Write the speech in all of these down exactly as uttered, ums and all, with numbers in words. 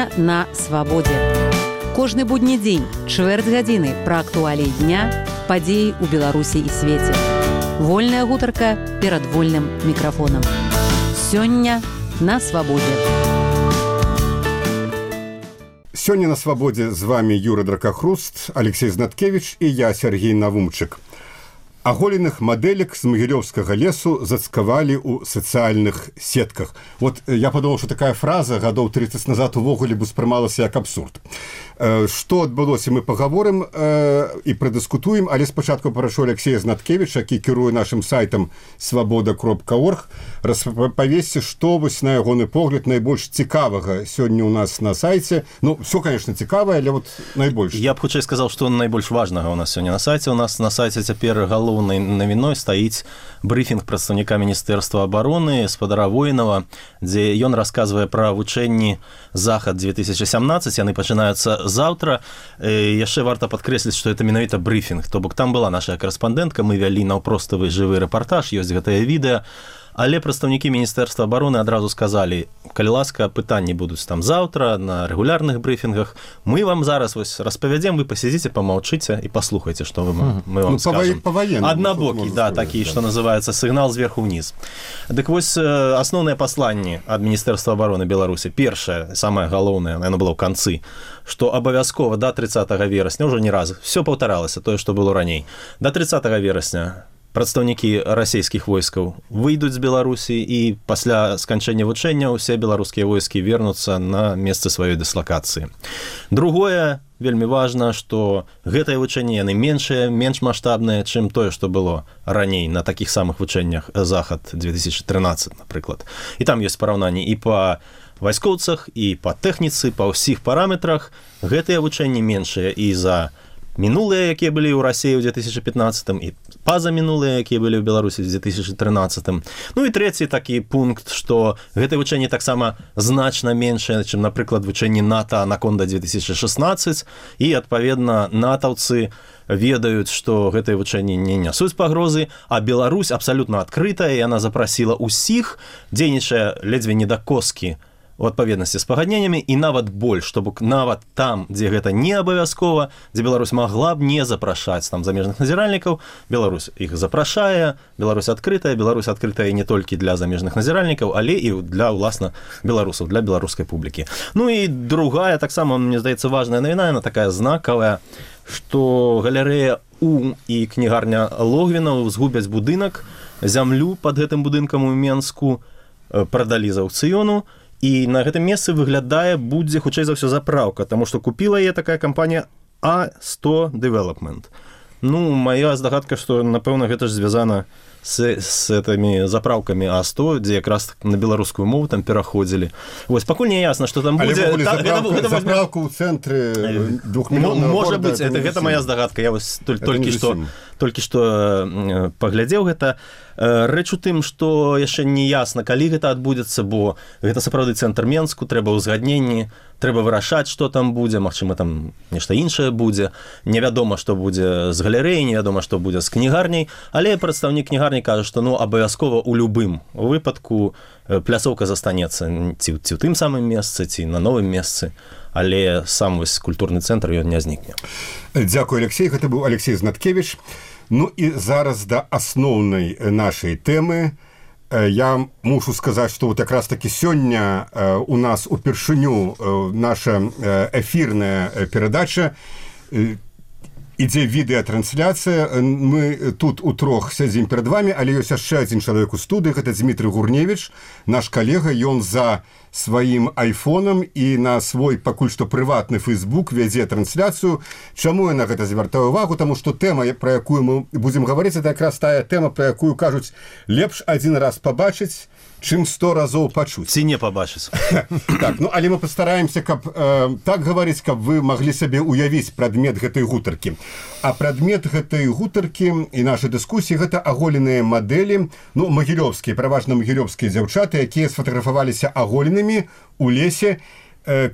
Сёння на свабодзе. Кожны будні дзень, чвэрць гадзіны пра актуаліі дня, падзеі ў Беларусі і свеце. Вольная гутарка перад вольным мікрафонам. Сёння на свабодзе. Сёння на свабодзе з вами Юра Дракахруст, Алексей Знаткевич і я, Сергей Навумчык. Аголеных мадэлек з Магілёўскага лесу зацкавалі ў сацыяльных сетках. Вот я падумаў, што такая фраза гадоў тридцать назад увогуле бы успрымалася як абсурд. Што адбылося, мы пагаворым і прадыскутуем, але спачатку прашу Алексея Знаткевича, які кіруе нашым сайтам свабода кропка орг, распавесці, што вось на ягоны погляд найбольш цікавага сёння ў нас на сайце. Ну, все, конечно, цікавае, але вот найбольш. Я б хутчэй сказаў, што найбольш важнага у нас сёння на сайце. У нас на сайце цяпер галоўнай навіной стаіць брыфінг прадстаўніка Міністэрства абароны спадара Воінава, дзе ён расказвае пра вучэнні Захад две тысячи сямнадцать, яны пачынаюцца заўтра. Яшчэ варта падкрэсліць, што это менавіта брыфінг, то бок там была наша карэспандэнтка, мы вялі наўпроставы жывы рэпартаж, ёсць гэтае відэа. Але прадстаўнікі Міністэрства абароны адразу сказалі, калі ласка, пытанні будуць там заўтра, на рэгулярных брыфінгах. Мы вам зараз вось распавядзем, вы пасядзіце, памаўчыце і паслухайце, што мы, мы вам ну, скажем. Аднабокі, да, такі, да. Што называецца сігнал зверху ўніз. Дык вось асноўныя пасланні ад Міністэрства абароны Беларусі. Першае, самае галоўнае, яно было ў канцы, што абавязкова да тридцатага верасня, ўжо не раз, все паўтаралася, тое, што было раней. Да тридцатага верасня прадстаўнікі расійскіх войскаў выйдуць з Беларусі і пасля сканчэння вучэння ўсе беларускія войскі вернуцца на месцы сваёй дыслакацыі. Другое, вельмі важна, што гэтыя вучэнні яны меншыя, менш маштабныя, чым тое, што было раней на такіх самых вучэннях Захад две тысячи тринадцать, напрыклад. І там ёсць параўнанні і па вайскоўцах, і па тэхніцы, па ўсіх параметрах. Гэтыя вучэнні меншыя і за мінулыя, якія былі ў Расіі ў две тысячи пятнадцатым, і пазамінулыя, якія былі ў Беларусі ў две тысячи тринадцатым. Ну і трэці такі пункт, што гэтыя вучэнні таксама значна меншыя, чым, напрыклад, вучэнні НАТО «Анаконда» две тысячи шестнадцать, і, адпаведна, натаўцы ведаюць, што гэтыя вучэнні не нясуць пагрозы, а Беларусь абсалютна адкрытая, і яна запрасіла ўсіх, дзейнічае ледзьве не да коскі, у адпаведнасці з пагадненнямі, і нават больш, чтобы нават там, дзе гэта не абавязкова, дзе Беларусь магла б не запрашаць там замежных назіральнікаў, Беларусь іх запрашае, Беларусь адкрытая, Беларусь адкрытая не толькі для замежных назіральнікаў, але і для, уласна, беларусаў, для беларускай публікі. Ну і другая, таксама, мне здаецца, важная навіна, яна такая знакавая, што галерэя У і кнігарня Логвінаў згубяць будынак, зямлю пад гэтым будынкам у Менску прадалі з аўкцыёну, і на гэтым месцы выглядае, будзе хутчэй за ўсё запраўка, таму што купіла яе такая кампанія А сто Development. Ну, моя здагадка, што, напэўна, гэта ж звязана з, з этими заправкамі А сто, дзе якраз на беларускую мову там пераходзілі. Вось, пакуль не ясна, што там будзе... Але та, заправка, гэта, гэта заправка ў цэнтры двухмільённага можа города, быць, это, гэта моя здагадка. Я вось толькі што, толькі што паглядзеў гэта. Рэч у тым, што яшчэ не ясна, калі гэта адбудзецца, бо гэта сапраўды цэнтр Менску, трэба ўзгадненні, трэба вырашаць, што там будзе, магчыма, там нешта іншае будзе. Невядома, што будзе з галерэяй, невядома, што будзе з кнігарняй, але прадстаўнік кнігарні кажа, што ну, абавязкова ў любым выпадку пляцоўка застанецца ці, ці ў тым самым месцы, ці на новым месцы, але сам вось культурны цэнтр ён не знікне. Дзякуй, Алексей. Гэта быў Алексей Знаткевич. Ну і зараз да асноўнай нашай тэмы. Я мушу сказаць, што вот якраз такі сёння у нас упершыню наша эфірная перадача, ідзе відэатрансляцыя. Мы тут утрох сядзім перад вами, але ёсць яшчэ адзін чалавек у студыі, гэта Дмітрый Гурневіч, наш калега, ён за сваім айфонам і на свой пакуль што прыватны фейсбук вядзе трансляцыю. Чаму я на гэта звяртаю увагу? Таму што тэма, пра якую мы будзем гаварыць, это якраз тая тэма, пра якую кажуць, лепш адзін раз пабачыць, чым сто разоў пачуць. Ці не пабачыць. Так, ну, але мы пастараемся, каб э, так гаварыць, каб вы маглі сабе уявіць прадмет гэтай гутаркі. А прадмет гэтай гутаркі і нашай дыскусіі гэта аголеныя мадэлі, ну, магілёўскія, пераважна магілёўскія дзяўчаты, якія сфатаграфаваліся аголенымі у лесе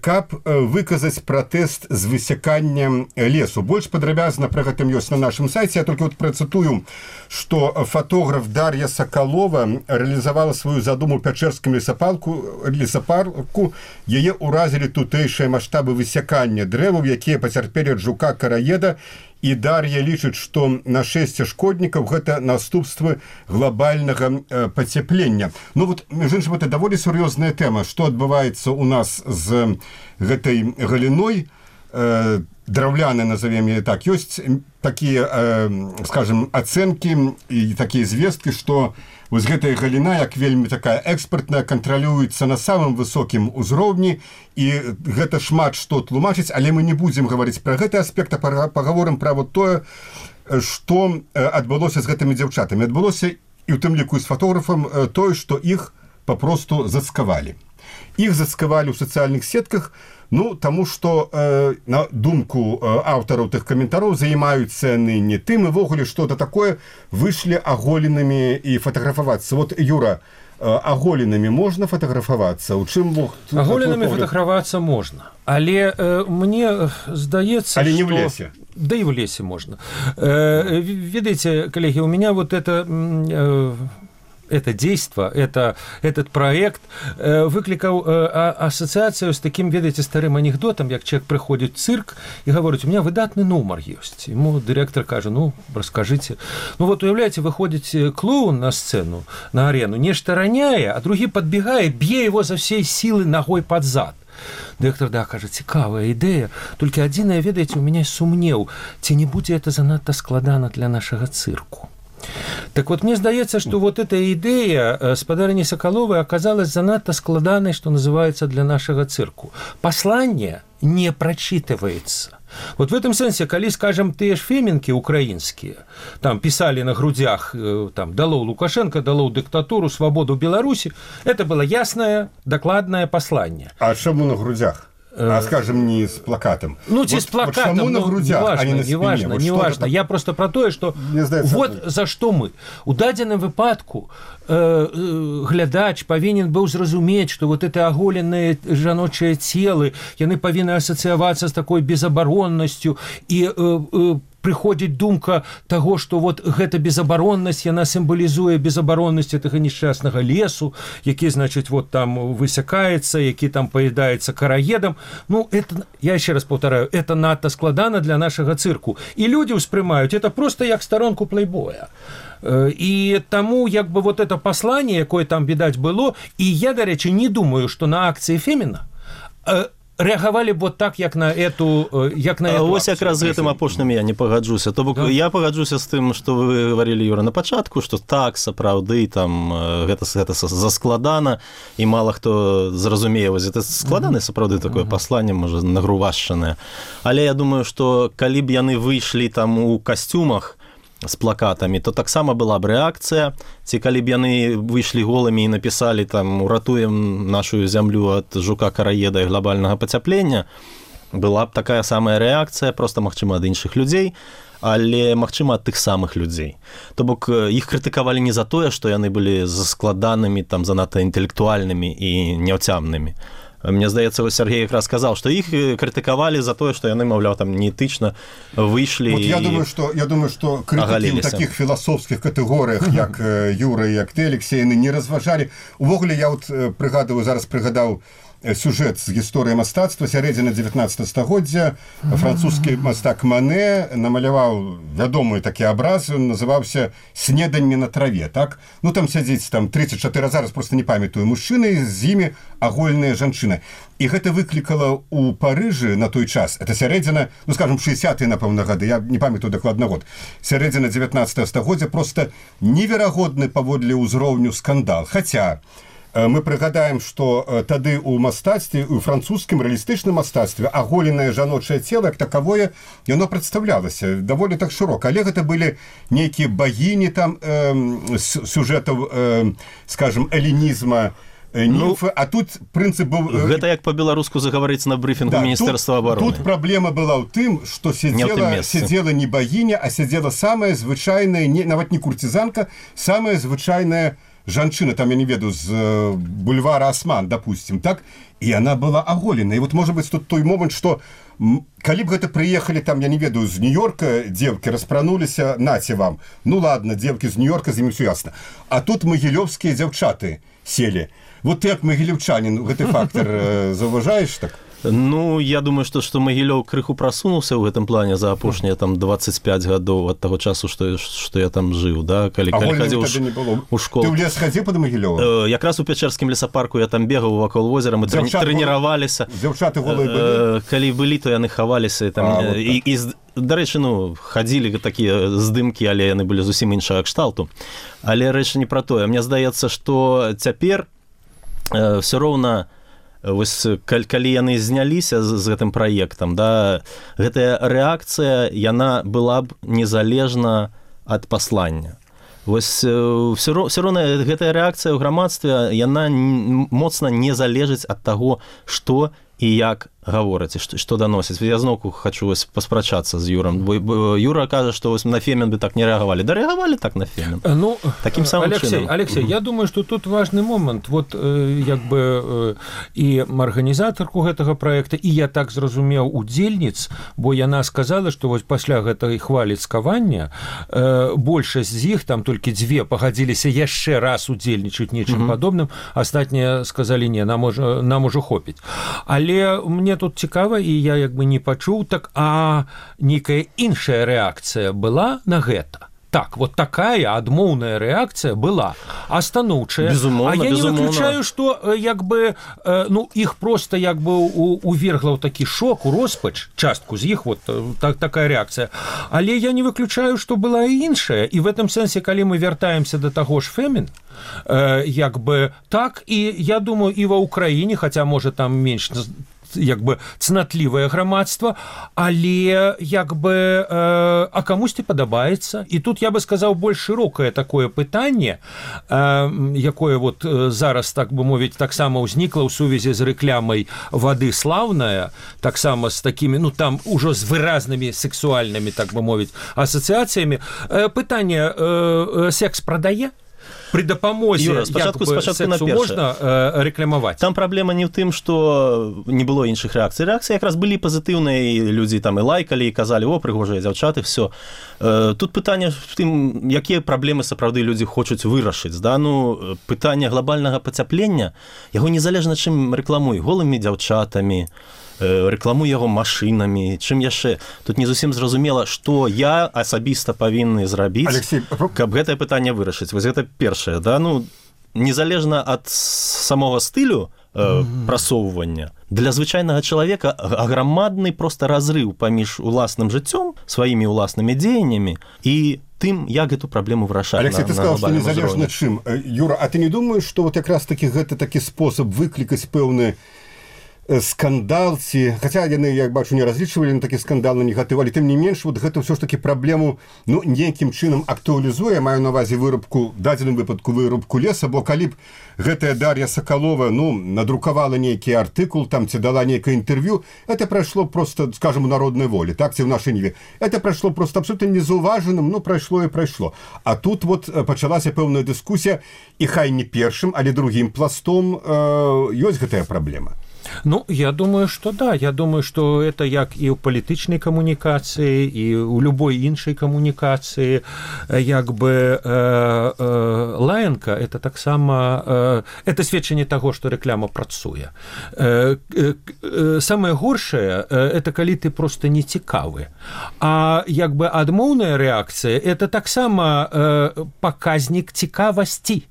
каб выказаць пратэст з высяканнем лесу. Больш падрабязна пра гэтым ёсць на нашым сайце. Я толькі вот працытую, што фатограф Дар'я Сакалова рэалізавала сваю задуму пячэрскім лесапарку, лесапарку. Яе ўразілі тутэйшыя маштабы высякання дрэваў, якія пацярпелі ад жука караеда, і Дар'я лічыць, што нашэсце шкоднікаў гэта наступствы глобальнага э, пацяплення. Ну вот, між іншым, это даволі сур'ёзная тэма, што адбываецца у нас з гэтай галіной, э, драўляны, назовем яе так. Ёсць такія, э, скажем, ацэнкі і такія звесткі, што вось гэтая галіна, як вельмі такая экспартная, кантралюецца на самым высокім узроўні, і гэта шмат што тлумачыць, але мы не будзем гаварыць пра гэты аспект, а пагаворым пра вот тое, што адбылося з гэтымі дзяўчатамі. Адбылося і ў тым ліку з фатографам тое, што іх папросту зацкавалі. Іх зацкавалі ў сацыяльных сетках, ну, таму што, э, на думку э, аўтараў тых каментароў, займаюцца яны не тым, і ввогуле што-то такое, выйшлі аголенымі і фатаграфавацца. Вот, Юра, э, аголенымі можна фатаграфавацца? У чым мог... Аголенымі фатаграфавацца можна, але э, мне здаецца, але што... не в лесе. Да и в лесе можно. Э, видите, коллеги, у меня вот это... Э, это действо, это, этот проект э, выкликал э, ассоциацию с таким, ведаеце, старым анекдотом, як человек приходит в цирк и говорит, у меня выдатный номер есть. Ему директор кажет, ну, расскажите. Ну вот, уявляете, выходит клоун на сцену, на арену, нечто роняя, а другие подбегая, бье его за всей силы ногой под зад. Директор, да, кажа, цікавая ідэя, толькі адзінае, ведаеце, у меня сумнеў, ці не будзе это занадта складана для нашага цирку. Так вот, мне здаецца, что вот эта идея спадарыні Соколовой оказалась занадто складанной, что называется, для нашего цирку. Послание не прочитывается. Вот в этом смысле, коли, скажем, те ж феминки украинские, там писали на грудях, там, дало Лукашенко, дало диктатуру, свободу Беларуси, это было ясное, докладное послание. А чему на грудях? А, скажем, не с плакатом. Ну, вот, с плакатом, вот ну, на грудях, неважно, а не на спине. неважно, вот неважно. Я просто про то, что вот это. За что мы. У дадзеным выпадку э, э, глядач повинен был зразумець, что вот это оголенные жаночие телы, яны повинны ассоциироваться с такой безоборонностью и э, э, приходит думка того, что вот гэта безоборонность, яна символизуе безоборонность этого несчастного лесу, які, значит, вот там высякается, які там поедается караедом. Ну, это, я еще раз повторяю, это надто складано для нашего цирку. И люди успрымаюць это просто як сторонку плейбоя. И тому, як бы, вот это послание, якое там, видать, было, и я, до речи, не думаю, что на акции Фемина реагавалі б вот так, як на эту, як на эту Ось якраз з гэтым апошнім я не пагаджуся. То бок да. Я пагаджуся з тым, што вы гаварылі, Юра, на пачатку, што так, сапраўды, там гэта, гэта заскладана, і мала хто зразумее, вось гэта складана, сапраўды, такое пасланне, можа, нагрувашчанае. Але я думаю, што калі б яны выйшлі там у касцюмах з плакатамі, то таксама была б рэакцыя. Ці калі б яны выйшлі голымі і напісалі там «Уратуем нашу зямлю ад жука-караеда і глобальнага пацяплення», была б такая самая рэакцыя, проста, магчыма, ад іншых людзей, але, магчыма, ад тых самых людзей. То бок, іх крытыкавалі не за тое, што яны былі заскладанымі, там, занадта інтэлектуальнымі і няўцямнымі. Мне здаецца, вось Сергей якраз сказал, што іх крытыкавалі за тое, што яны, маўляў, там неэтычна выйшлі вот я думаю, што, я думаю, што крытыкі ў такіх філасофскіх катэгорыях, як Юра і як ты, Алексей, яны не разважалі. Увогуле, я вот прыгадываю, зараз прыгадаў сюжэт з гісторыі мастацтва сярэдзіны дзевятнаццатага стагоддзя. Французскі мастак Мане намаляваў вядомы такі абраз, ён называўся «Снеданне на траве», так? Ну, там сядзіць там тридцать четыре, зараз просто не памятаю, мужчыны, з імі агольная жанчына. І гэта выклікала ў Парыжы на той час, это сярэдзіна, ну, скажем, шэсцятыя, напэўна, гады, я не памятаю дакладна год, сярэдзіна дзевятнаццатага стагоддзя, просто неверагодны паводле ўзроўню скандал. Хаця мы прыгадаем, што тады ў мастацтве, у французскім рэалістычным мастацтве аголенае жаночае цела, як такавое, яно прадстаўлялася даволі так шырока. Але гэта былі нейкія багіні там э, сюжэтаў, э, скажем, элінізма, німфы, ну, а тут прынцып быў... Гэта як па-беларуску загаварыць на брыфінгу да, Міністэрства абароны. Тут праблема была ў тым, што сядзела, сядзела не багіня, а сядзела самая звычайная, не, нават не курцізанка, самая звычайная жанчына, там, я не ведаю, з бульвара Осман, допустим, так, і она была аголена. І вот, может быть, тут той момент, што калі б гэта прыехалі, там, я не ведаю, з Нью-Йорка дзевкі распрануліся, наце вам. Ну, ладно, дзевкі з Нью-Йорка, з імі ўсё ясна. А тут магілёўскія дзяўчаты селі. Вот ты, як магілёўчанін, гэты фактор заўважаеш так? Ну, я думаю, што, што Магілёў крыху прасунуўся ў гэтым плане за апошнія там двадцать пять гадоў ад таго часу, што, што я там жыў, да? Калі, а калі хадзіў у школу. Ты ў лес хадзіў пад Магілёвам? Э, якраз у Пячэрскім лесапарку я там бегаў вакол возера, мы Дзяўчат трэніраваліся. Дзяўчаты голыя былі? Э, калі былі, то яны хаваліся. І, там, а, вот і, і, дарэчы, ну, хадзілі такія здымкі, але яны былі зусім іншага кшталту. Але рэч не пра тое. Мне здаецца, што цяпер э, ўсё роўна вось калі яны зняліся з, з гэтым праектам, да, гэтая рэакцыя, яна была б незалежна ад паслання. Вось ўсё роўна гэтая рэакцыя ў грамадстве, яна моцна не залежыць ад таго, што і як гавораць, што, што даносіць. Я зноўку хачу вось паспрачацца з Юрам. Бо, бо Юра кажа, што вось на Фемін бы так не рэагавалі. Да рэагавалі так на Фемін. Ну, таким самым Алексей, чынам. Алексей, я думаю, што тут важны момант. Вот, э, як бы, э, і арганізатарку гэтага праекта, і я так зразумеў удзельніц, бо яна сказала, што вось пасля гэтай хвалі цкавання э, большасць з іх, там толькі дзве, пагадзіліся яшчэ раз удзельнічаць нечым mm-hmm. падобным, астатнія сказалі, не, нам ужо, нам ужо хопіць. Але мне тут цікава, і я як бы не пачуў, так, а нейкая іншая рэакцыя была на гэта. Так, вот такая адмоўная рэакцыя была, а станоўчая. Безумоўна, а я безумоўна. не выключаю, што як бы, ну, іх просто як бы увергла ў такі шок, у роспач, частку з іх, вот так, такая рэакцыя. Але я не выключаю, што была і іншая. І в этом сэнсе, калі мы вяртаемся да таго ж Фемін, як бы так, і я думаю, і ва Ўкраіне, хаця, можа, там менш як бы цнатлівае грамадства, але як бы э, а камусьці падабаецца. І тут я бы сказаў больш шырокае такое пытанне, э, якое вот зараз, так бы мовіць, таксама ўзнікла ў сувязі з рэклямай вады слаўная, таксама з такімі, ну там ужо з выразнымі сексуальнымі, так бы мовіць, асацыяцыямі. Э, пытанне, э, секс прадае? При дапамозе Юра, спачатку, спачатку на першае. Можна э, рэкламаваць. Там праблема не ў тым, што не было іншых рэакцый. Рэакцыі якраз былі пазітыўныя, і людзі там і лайкалі, і казалі, о, прыгожыя дзяўчаты, все. Э, тут пытанне в тым, якія праблемы сапраўды людзі хочуць вырашыць. Да? Ну, пытанне глобальнага пацяплення, яго незалежна чым рэкламуй, голымі дзяўчатамі, рэкламуй яго машынамі, чым яшчэ. Тут не зусім зразумела, што я асабіста павінны зрабіць, Алексей, каб гэтае пытанне вырашыць. Вось гэта першае, да? Ну, незалежна ад самога стылю э, mm-hmm. прасоўвання, для звычайнага чалавека аграмадны проста разрыў паміж уласным жыццём, сваімі уласнымі дзеяннямі і тым, як гэту праблему вырашаць. Алексей, ты сказал, што незалежна чым. Юра, а ты не думаеш, што вот якраз такі гэта такі спосаб выклікаць пэўны скандал, ці, хаця яны, як бачу, не разлічвалі на такі скандал, на негатыў, але тым не менш, вот гэта ўсё ж такі праблему, ну, нейкім чынам актуалізуе, маю на ўвазе вырубку, дадзеным выпадку вырубку леса, бо калі б гэтая Дар'я Сакалова, ну, надрукавала нейкі артыкул, там, ці дала нейкае інтэрв'ю, это прайшло просто, скажем, у народнай волі, так, ці ў нашай ніве. Это прайшло просто абсолютно незаўважаным, ну, прайшло і прайшло. А тут вот пачалася пэўная дыскусія, і хай не першым, але другім пластом э, ёсць гэтая праблема. Ну, я думаю, что да. Я думаю, что это як и у палітычнай камунікацыі, і у любой іншай камунікацыі, як бы э, э, лаянка, это таксама э, это сведчанне таго, што рэкляма працуе. Э, э, э, самае горшае, э, это калі ты просто не цікавы. А як бы адмоўная рэакцыя, это таксама э, паказнік цікавасці.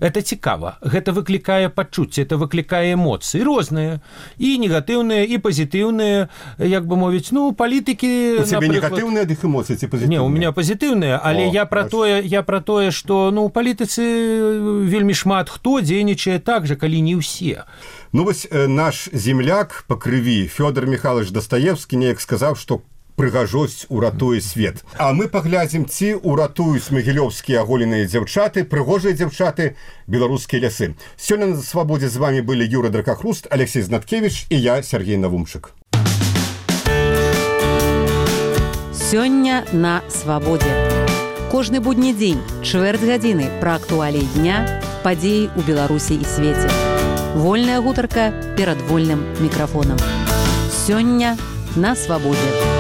Это цікава, гэта выклікае пачуцці, это выклікае эмоцыі розныя, і негатыўныя, і пазітыўныя, як бы мовіць, ну, палітыкі... У цябе негатыўныя дых эмоцыі ці пазітыўныя? Не, у меня пазітыўныя, але О, я пра тое, я пра тое, што, ну, у палітыцы вельмі шмат хто дзейнічае так жа, калі не ўсе. Ну, вось наш земляк па крыві Фёдор Михайлович Дастаевскі неяк сказаў, што прыгажосць уратуе свет. А мы паглядзім, ці ўратуюць магілёўскія аголеныя дзяўчаты, прыгожыя дзяўчаты, беларускія лясы. Сёння на свабодзе з вами былі Юра Дракахруст, Алексей Знаткевич і я, Сергей Навумчык. Сёння на свабодзе. Кожны будні дзень, чвэрць гадзіны пра актуаліі дня, падзеі ў Беларусі і свеце. Вольная гутарка перад вольным мікрафонам. Сёння на свабодзе.